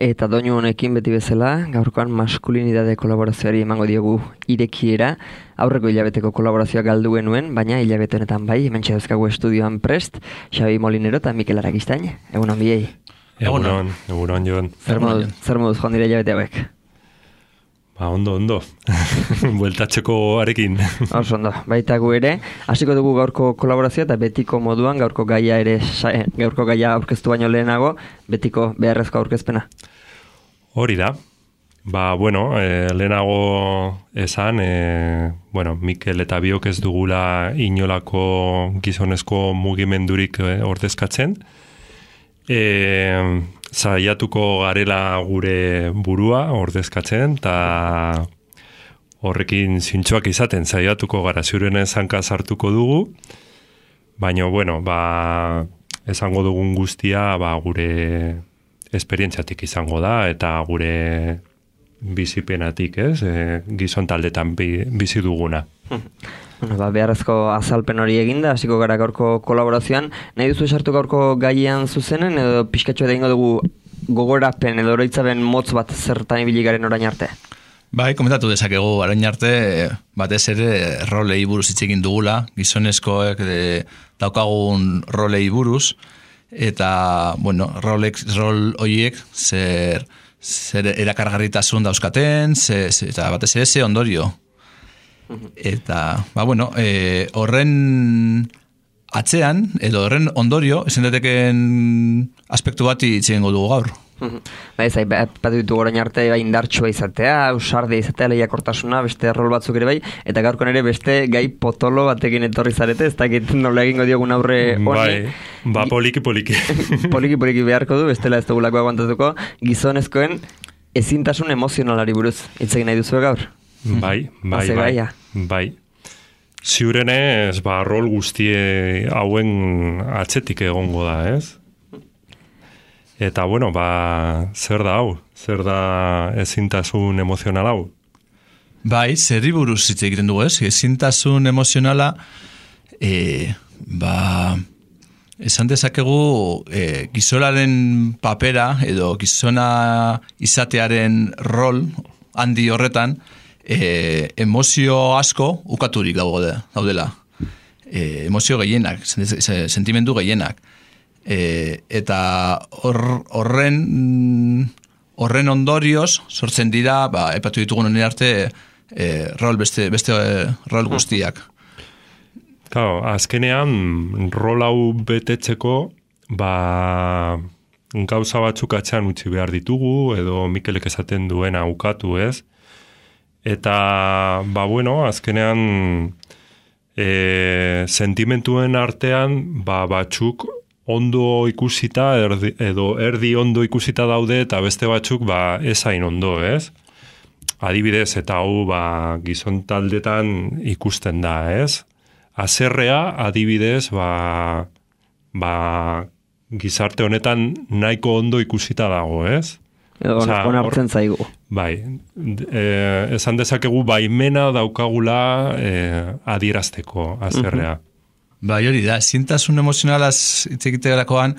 eta doinu honekin beti bezala, gaurkoan maskulinidade kolaborazioari emango diogu irekiera. Aurreko hilabeteko kolaborazioa galdu genuen, baina hilabete honetan bai, hementxe dauzkagu estudioan prest, Xabi Molinero eta Mikel Arakistain. Egunon biei. Egunon, Jon. Zer moduz joan dira hilabete hauek? Ondo. Bueltatzeko arekin. Oso ondo, baita gu ere. Hasiko dugu gaurko kolaborazioa eta betiko moduan gaurko gaia aurkeztu baino lehenago, betiko beharrezko aurkezpena. Hori da. Lehenago esan, Mikel eta biok ez dugula inolako gizonezko mugimendurik ordezkatzen. Saiatuko garela gure burua ordezkatzen, eta horrekin zintxoak izaten saiatuko gara, ziurenen zanka sartuko dugu, baina, esango dugun guztia gure esperientziatik izango da, eta gure bizipenatik, gizon taldetan bizi duguna. Beharrezko azalpen hori eginda, hasiko gara gaurko kolaborazioan. Nahi duzu esartu gaurko gaian zuzenen, edo pixkatxo edo ingo dugu gogorapen edo oroitzaben motz bat zertan ibili garen orain arte? Bai, komentatu dezakegu orain arte, batez ere rolei buruz hitz egin dugula, gizonezkoek daukagun rolei buruz, eta, rol horiek zer erakargarritasun dauzkaten, eta batez ere ze ondorio. Eta, horren atzean, edo horren ondorio, esan dateken aspektu bat itxegengo dugu gaur. Bat ditu gorain arte indartsua izatea, ausardia izatea, lehiakortasuna, beste rol batzuk ere bai, eta gaurkon ere beste gai potolo batekin etorri zarete, ez dakit nola egingo diogun aurre honi. Poliki. Poliki beharko du, bestela ez dugulako aguantatuko, gizonezkoen ezintasun emozionalari buruz, hitz egin nahi duzu gaur? Bai. Ziurenez, rol guztie hauen atzetik egongo da, ez? Eta, zer da hau? Zer da ezintasun emozional hau? Bai, zerri buruz hitz egiten dugu, ez? Ezintasun emozionala, esan dezakegu gizonaren papera, edo gizona izatearen rol handi horretan, emozio asko ukaturik daudela. Emozio gehienak, sentimendu gehienak. Eta horren ondorioz sortzen dira, epatu ditugun honen arte, beste rol guztiak. Claro, azkenean rol hau betetzeko, gauza batzuk atzean utzi behar ditugu, edo Mikelek esaten duena ukatu, ez? Eta, azkenean sentimentuen artean, batzuk ondo ikusita, edo erdi ondo ikusita daude, eta beste batzuk, ezain ondo, ez? Adibidez, eta hau, gizon taldetan ikusten da, ez? Haserrea, adibidez, gizarte honetan nahiko ondo ikusita dago, ez? Onartzen zaigu. Bai, esan dezakegu baimena daukagula adierazteko haserrea. Bai, hori da, ezintasun emozionalaz hitz egiterakoan,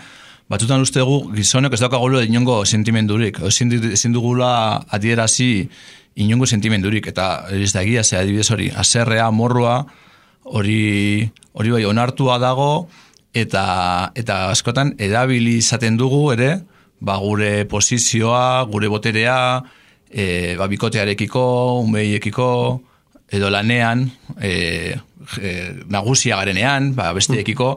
batzutan uste dugu gizonek ez daukagulu inongo sentimendurik, ezin dugula adierazi inongo sentimendurik, eta ez da egia, adibidez hori, haserrea, morroa, hori bai onartua dago, eta askotan erabili izaten dugu ere, gure posizioa, gure boterea, bikotearekiko, umeiekiko, edo lanean, nagusia garenean, besteekiko,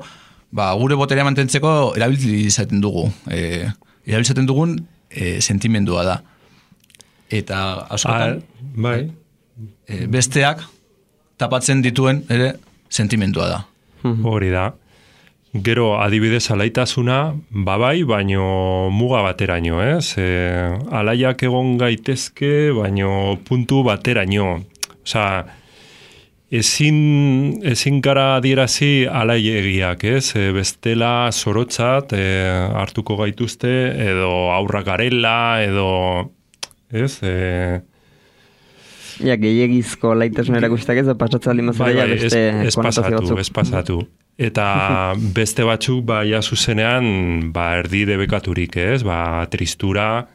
gure boterea mantentzeko erabili izaten dugu. Erabili izaten dugun sentimendua da. Eta askotan, besteak tapatzen dituen ere sentimendua da. Hori da. Gero, adibidez, alaitasuna, baino muga bateraino, ez? Alaiak egon gaitezke, baino puntu bateraino. Osa, ezin gara adierazi alaiegiak, ez? Bestela zorotzat hartuko gaituzte, edo aurra garela, edo, ez? Gehiagizko alaitasuna erakustak ez, pasatzen aldin mazera, beste konotazio batzuk. Ez pasatu. Eta beste batzuk, ja zuzenean, erdi debekaturik, ez? Tristura,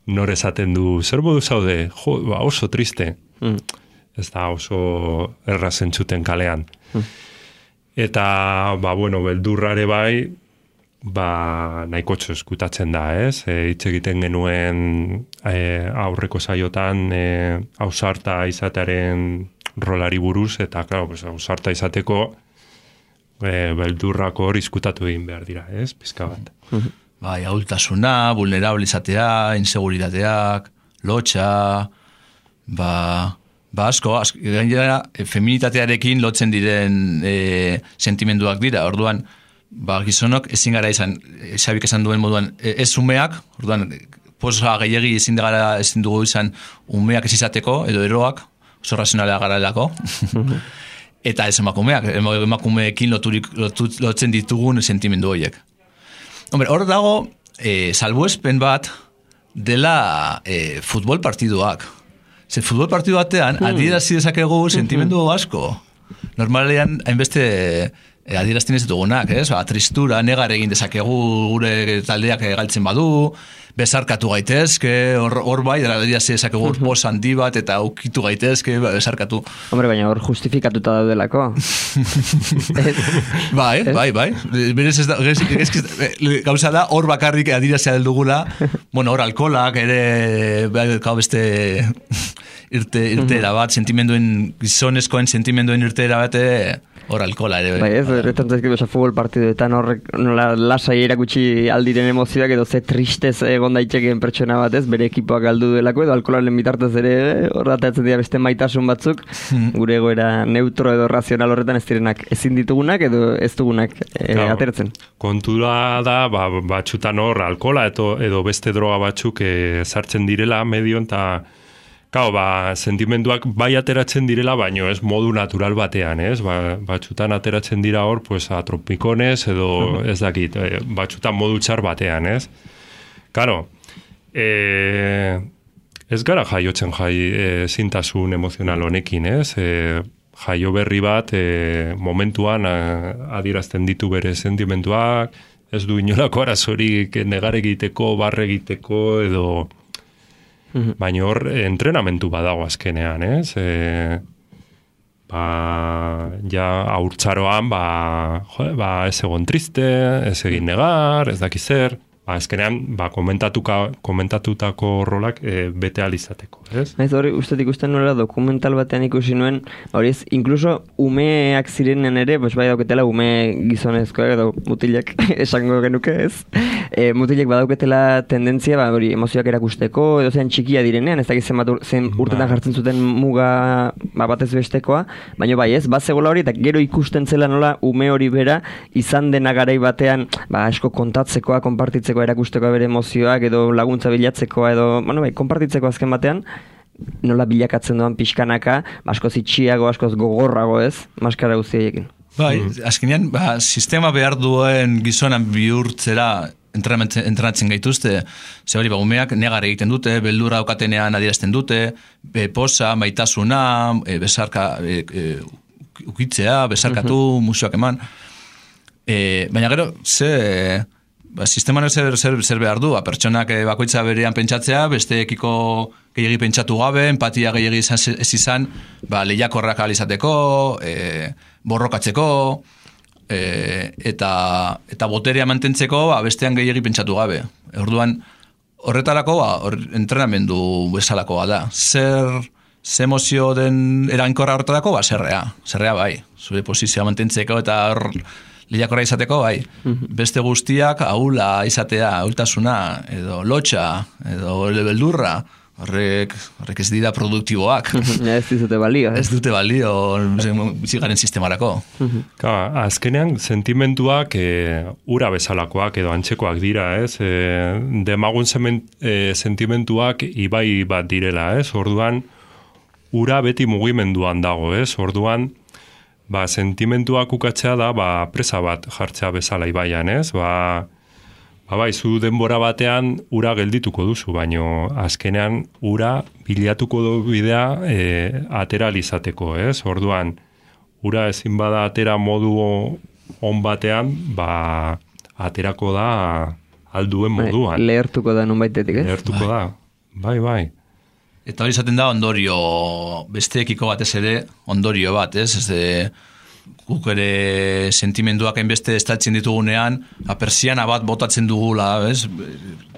nor esaten du, zer modu zaude, jo, oso triste. Ez da oso erraz entzuten kalean. Eta, beldurrare bai, nahiko eskutatzen da, ez? Hitz egiten genuen aurreko saiotan ausarta izatearen rolari buruz, eta, ausarta izateko beldurrako hor izkutatu egin behar dira, ez? Pizka bat. Bai, ahultasuna, vulnerable izatea, inseguritateak, lotxa, asko, gainera, feminitatearekin lotzen diren sentimenduak dira, orduan, gizonok ezin gara izan, Xabik esan duen moduan, ez umeak, orduan, posa gehiagi ezin dugu izan umeak ez izateko, edo eroak, oso razionalea gara delako, eta ez emakumeekin lotzen ditugun sentimendu horiek. Hombre, hor dago, salbuespen bat dela futbol partiduak. Futbol partidu batean, adierazi dezakegu sentimendu asko. Normalean, hainbeste adierazten ez dugunak, ez? Tristura, negar egin dezakegu gure taldeak galtzen badu, besarkatu gaitezke, hor bai, adierazi dezakegu pos handi bat, eta ukitu gaitezke, besarkatu. Hombre, baina hor justifikatuta daudelako. Bai. Berez ez da, gauza da, hor bakarrik adierazia dugula, hor alkolak, ere, beste irteera bat, gizonezkoen sentimenduen irteera bat, hor alkola ere. Bai, ez, erretan zaizkidu futbol partiduetan horrek nola lasai erakutsi aldiren emozioak edo ze tristez egon daitekeen pertsona bat, ez, bere ekipoak galdu delako edo alkolaren bitartez ere hor dateatzen dira beste maitasun batzuk, gure egoera neutro edo razional horretan ez direnak ezin ditugunak edo ez dugunak ateratzen. Kontura da, batxutan hor alkola edo beste droga batzuk sartzen direla medion eta sentimenduak bai ateratzen direla, baino ez modu natural batean, ez? Batxutan ateratzen dira hor, atropikonez, edo ez dakit, batxutan modu txar batean, ez? Karo, ez gara jaiotzen zintasun emozional honekin, ez? Jaio berri bat, momentuan adierazten ditu bere sentimenduak, ez du inolako arazorik negar egiteko, barre egiteko, edo... Baina hor, entrenamentu badago azkenean, ez? Haurtzaroan, ez egon triste, ez egin negar, ez dakiz zer, azkenean, komentatutako rolak bete alizateko, ez? Ez hori, uste ikusten nola dokumental batean ikusi nuen, hori ez, inkluso umeak zirenen ere, bai dauketela ume gizonezkoak edo mutilak esango genuke, ez? Mutilek badauketela tendentzia, hori emozioak erakusteko, edo zen txikia direnean, ez dakiz zen urtetan jartzen zuten muga batez bestekoa, baina bai ez, zegoela hori, eta gero ikusten zela nola ume hori bera, izan dena garai batean, asko kontatzekoa, konpartitzeko erakustekoa bere emozioak, edo laguntza bilatzekoa, edo, konpartitzeko azken batean, nola bilakatzen doan pixkanaka, askoz itxiago, askoz gogorrago ez, maskara guztiekin. Bai, azkenean, sistema behar duen gizonan bihurtzera entrenatzen gaituzte, ze hori, umeak negar egiten dute, beldurra daukatenean adierazten dute, posa, maitasuna, ukitzea, besarkatu, musuak eman. Baina gero, sisteman zer behar du, pertsonak bakoitza berean pentsatzea, besteekiko gehiagi pentsatu gabe, empatia gehiagi ez izan, lehiakorrak alizateko, borrokatzeko, eta boterea mantentzeko bestean gehiagi pentsatu gabe. Orduan, horretarako entrenamendu bezalakoa da. Zer emozio den erainkorra horretarako, zerrea bai. Zure posizioa mantentzeko eta hor lehiakorra izateko, bai. Beste guztiak ahula izatea, ahultasuna, edo lotxa, edo beldurra, horrek ez dira produktiboak. Ez dute balio. Ez dute balio bizigaren sistemarako. Azkenean, sentimenduak ura bezalakoak edo antzekoak dira, ez? Demagun sentimenduak ibai bat direla, ez? Orduan, ura beti mugimenduan dago, ez? Orduan, sentimenduak ukatzea da, presa bat jartzea bezala ibaian, ez? Zu denbora batean ura geldituko duzu, baino azkenean ura bilatuko du bidea ateralizateko, ez? Orduan, ura ezin bada atera modu on batean, aterako da alduen moduan. Lehertuko da nun baitetik, ez? Lehertuko da, bai. Eta hori izaten da ondorio, besteekiko batez ere, ondorio bat, ez? Guk ere sentimenduak hainbeste estaltzen ditugunean, persiana bat botatzen dugula, ez?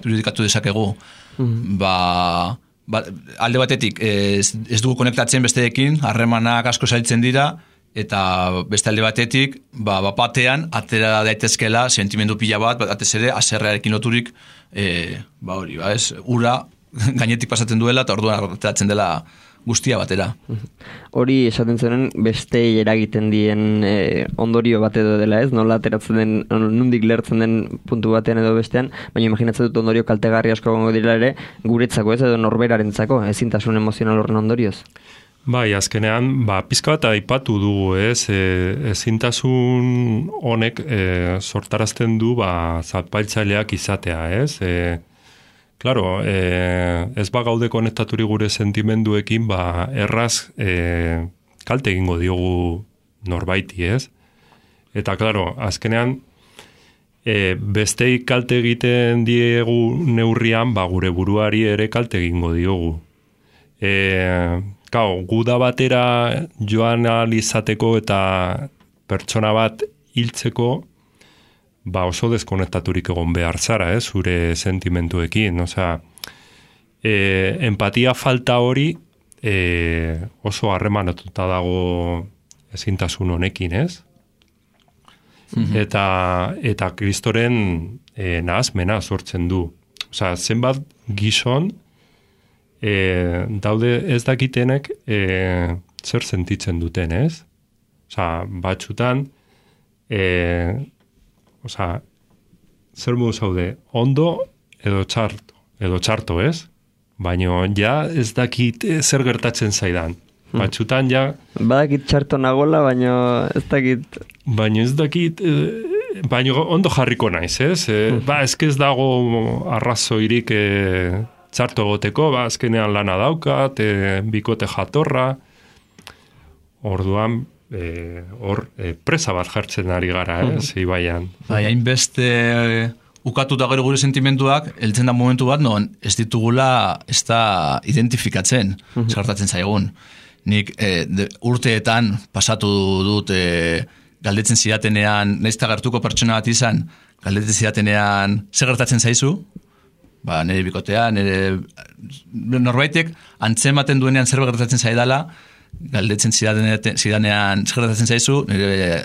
Irudikatu dezakegu. Alde batetik, ez dugu konektatzen besteekin, harremanak asko zailtzen dira, eta beste alde batetik, batean, atera daitezkela sentimendu pila bat, batez ere, aserrearekin loturik, hori, ez? Ura gainetik pasatzen duela, eta orduan ateratzen dela guztia batera. Hori esaten zenen beste eragiten dien ondorio bat edo dela, ez? Nola ateratzen den, nundik lertzen den puntu batean edo bestean, baina imaginatzen dut ondorio kaltegarri asko gongo dira ere, guretzako, ez? Edo norberarentzako, ezintasun emozional horren ondorioz. Bai, azkenean, pizka bat aipatu dugu, ez? Ezintasun honek sortarazten du zapaltzaileak izatea, ez? Claro, ez gaude konektaturik gure sentimenduekin, erraz kalte egingo diogu norbaiti, ez? Eta, claro, azkenean, besteik kalte egiten diegu neurrian, gure buruari ere kalte egingo diogu. Guda batera joan alizateko eta pertsona bat hiltzeko, oso deskonektaturik egon behar zara, zure sentimentuekin. Osea, empatia falta hori oso harremanatuta dago ezintasun honekin, ez? Eta Kristoren nahazmena sortzen du. Osea, zenbat gizon daude ez dakitenek zer sentitzen duten, ez? Osea, batzutan zer modu zaude, ondo edo txarto, ez? Baina ja ez dakit zer gertatzen zaidan. Batzutan ja... Badakit txarto nagola, baina ez dakit... Baina ez dakit... Baina ondo jarriko naiz, ez? Ez dago arrazoirik txarto egoteko, azkenean lana daukat, bikote jatorra, orduan... presa bat jartzen ari gara, Ibaian. Hainbeste ukatuta gero gure sentimenduak, heltzen da momentu bat, non ez ditugula ez da identifikatzen, zartatzen zaigun. Nik urteetan pasatu dut galdetzen zidatenean, naizta gertuko pertsona bat izan, galdetzen zidatenean, zer gertatzen zaizu? Nire bikotea, norbaitek antzematen duenean zer gertatzen zaidala, galdetzen zidanean zer gertatzen zaizu, nire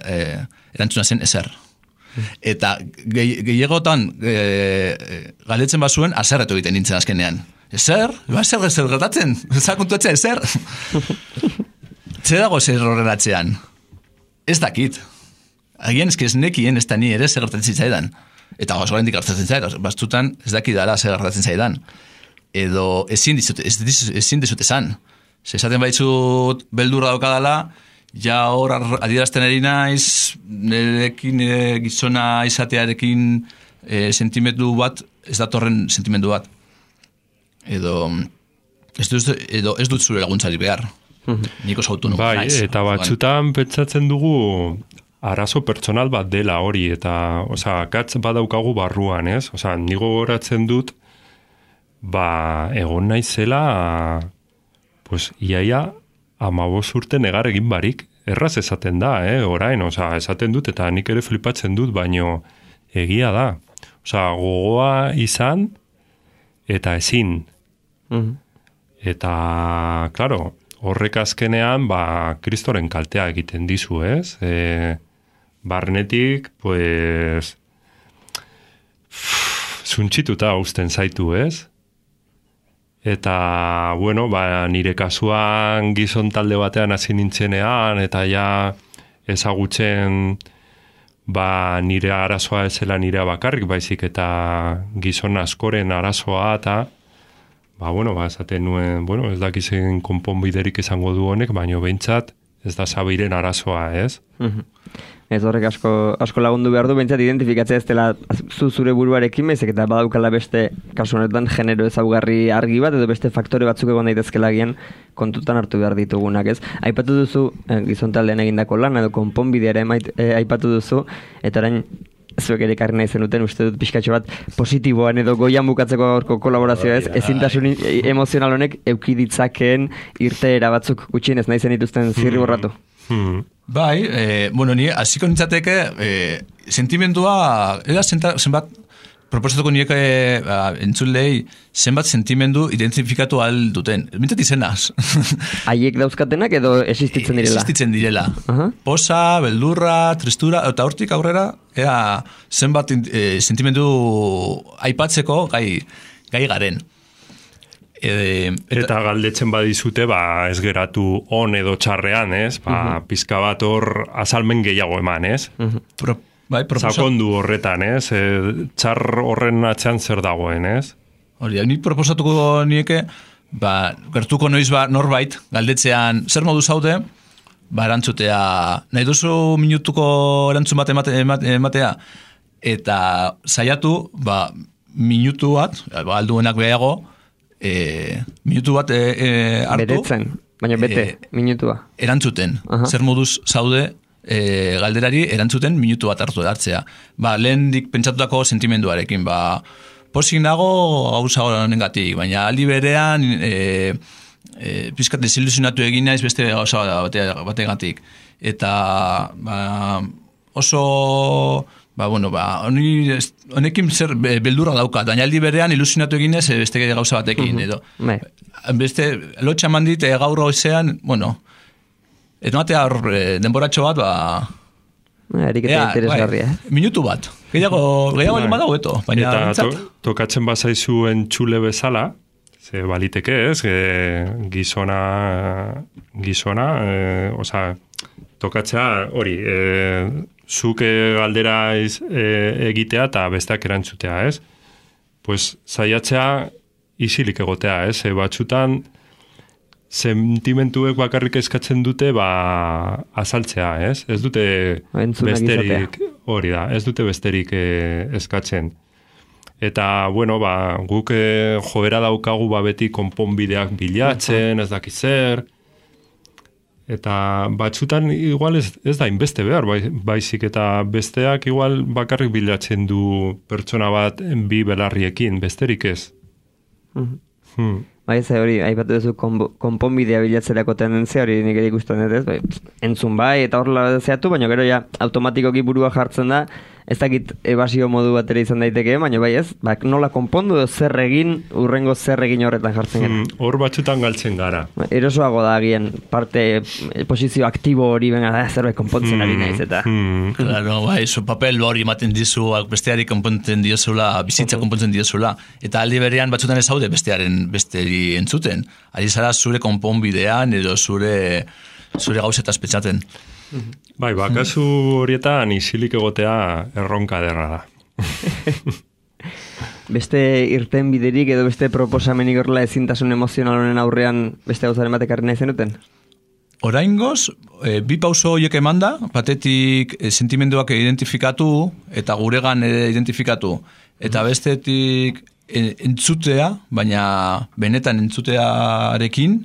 erantzuna zen ezer. Eta gehiagotan galdetzen bazuen, azerretu egiten nintzen azkenean. Ezer? Zer gertatzen? Zer kontuatzea, ezer? Zer dago zer horreratzean? Ez dakit. Agian ez nekien ez da ni ere zer gertatzen zaidan. Eta oso gaindik gertatzen zaidan. Bastutan ez dakit dara zer gertatzen zaidan. Edo ezin dizut esan. Esaten baitzut beldurra daukadala, ja hor adierazten eri naiz, nirekin gizona izatearekin sentimendu bat, ez datorren sentimendu bat. Edo ez dut zure laguntzari behar. Niko sautu nugu naiz. Bai, eta batzutan pentsatzen dugu arazo pertsonal bat dela hori, eta katz badaukagu barruan, ez? Nigo goratzen dut, egon naizela... iaia 15 urte negar egin barik, erraz esaten da, orain, esaten dut, eta nik ere flipatzen dut, baino egia da. Gogoa izan, eta ezin. Eta, klaro, horrek azkenean, Kristoren kaltea egiten dizu, ez? Barnetik, zuntxituta uzten zaitu, ez? Eta, nire kasuan gizon talde batean hasi nintzenean, eta ja ezagutzen nire arazoa ez zela nirea bakarrik, baizik eta gizon askoren arazoa, eta esaten nuen, ez dakizen konponbiderik izango du honek, baina behintzat ez da Zabiren arazoa, ez? Ez horrek asko lagundu behar du, behintzat identifikatzea ez dela zure buruarekin, baizik eta badaukala beste, kasu honetan, genero ezaugarri argi bat, edo beste faktore batzuk egon daitezkela gian kontutan hartu behar ditugunak, ez? Aipatu duzu, gizontaldean egindako lan, edo konponbidea ere aipatu duzu, eta orain, zuek ere karri nahi zenuten, uste dut pixkatxo bat positiboan edo goian bukatzeko gaurko kolaborazioa ez, ezintasun emozional honek eukiditzakeen irteera batzuk gutxienez nahi zen dituzten zirri borratu. Bai, bueno, ni hasiko nintzateke sentimendua, zenbat proposatuko nieke entzulei zenbat sentimendu identifikatu ahal duten. Mintzat izenaz. Haiek dauzkatenak edo existitzen direla? Existitzen direla. Posa, beldurra, tristura, eta hortik aurrera, zenbat sentimendu aipatzeko gai garen. Eta galdetzen badizute, ez geratu on edo txarrean, ez? Pizka bat hor azalmen gehiago eman, ez? Sakondu horretan, ez? Txar horren atzean zer dagoen, ez? Hori, ni proposatuko nieke, gertuko noiz norbait, galdetzean, zer modu zaude, erantzutea, nahi duzu minutuko erantzun bat ematea, eta saiatu, minutu bat, alduenak behago, minutu bat hartu. Beretzen, baina bete, minutua. Erantzuten, zer moduz zaude, galderari erantzuten minutu bat hartzea. Lehen dik pentsatutako sentimenduarekin, posik nago gauza honengatik, baina aldi berean pizkat desilusionatu egin naiz beste gauza bategatik. Eta oso honekin zer beldurra daukat, baina aldi berean ilusionatu egin ez beste gauza batekin. Beste lotxa mandit gaur goizean, ez matea denboratxo bat, eriketa interesgarria. Minutu bat. Gehiago egin badago eto. Eta tokatzen bazaizu entzule bezala, ze baliteke ez, gizona, tokatzea hori, zuk galdera egitea eta besteak erantzutea, ez? Pues saiatzea isilik egotea, ez? Batzutan sentimentuek bakarrik eskatzen dute azaltzea, ez? Ez dute besterik, hori da, ez dute besterik eskatzen. Eta, guk joera daukagu beti konponbideak bilatzen, ez dakit zer, eta batzutan igual ez da inbeste behar, baizik eta besteak igual bakarrik bilatzen du pertsona bat bi belarriekin, besterik ez. Ez hori, aipatu duzu konponbidea bilatzerako tendentzia hori nik ere ikusten dut ez, entzun eta horrela zeatu, baina gero ja automatikoki burua jartzen da, ez dakit ebasio modu bat ere izan daiteke, baina ez, nola konpondu zer egin, urrengo zer egin horretan jartzen gara. Hor batzutan galtzen gara. Erosoago da agian, parte posizio aktibo hori zerbait konpontzen ari naiz eta. Claro, papel hori ematen dizu, besteari konpontzen diozula, bizitza konpontzen diozula, eta aldi berean batzutan ez haude besteri entzuten. Ari zara zure konponbidean edo zure gauzetaz petxaten. Kasu horietan isilik egotea erronka derra da. Beste irten biderik edo beste proposamenik horrela ezintasun emozional honen aurrean beste gauzaren batek nahi zenuten? Oraingoz, bi pauso horiek emanda, batetik sentimenduak identifikatu eta guregan identifikatu. Eta bestetik entzutea, baina benetan entzutearekin,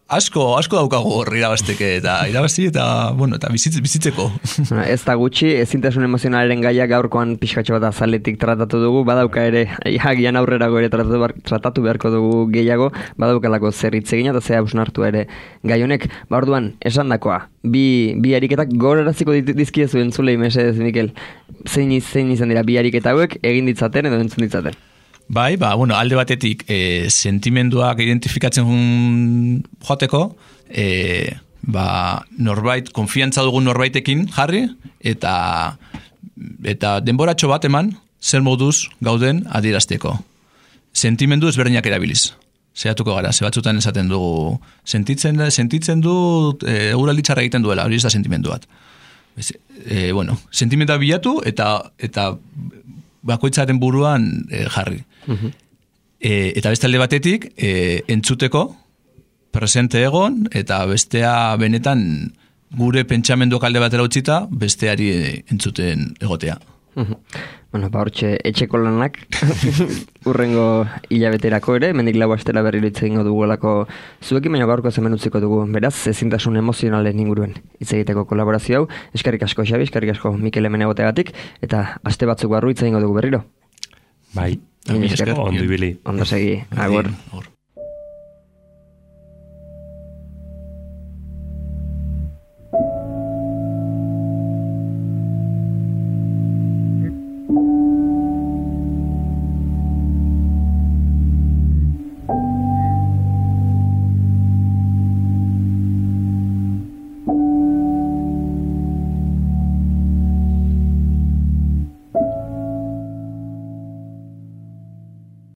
asko daukago horri irabazteke eta bizitzeko. Ez da gutxi, ezintasun emozionalaren gaia gaurkoan pixkatxo bat azaletik tratatu dugu, badauka ere, agian aurrerago ere tratatu beharko dugu gehiago, badaukalako zer hitz egina eta zea busnartu ere gai honek. Orduan, esan dakoa, bi ariketak gogoraraziko dizkiezu entzulei mesedez, Mikel. Zein izan dira bi ariketa hauek egin ditzaten edo entzun ditzaten? Alde batetik sentimenduak identifikatzen joateko, norbait, konfiantza dugun norbaitekin jarri, eta denboratxo bat eman, zer moduz gauden adierazteko. Sentimendu ezberdinak erabiliz. Zehatuko gara, batzutan esaten dugu, sentitzen du euraldi txarra egiten duela, hori ez da sentimendu bat. Sentimendua bilatu eta bakoitzaren buruan jarri. Eta beste alde batetik, entzuteko, presente egon, eta bestea benetan gure pentsamendu alde batera utzita, besteari entzuten egotea. Bueno, hortxe etxeko lanak urrengo hilabeterako ere, mendik lau astera berriro hitz egingo dugulako zuekin, baina gaurko hemen utziko dugu. Beraz, ezintasun emozionalen inguruen hitz egiteko kolaborazio hau. Eskerrik asko Xabi, eskerrik asko Mikel hemen egoteagatik, eta aste batzuk barru hitz egingo dugu berriro. Bai, ondo ibili. Ondo segi, agur.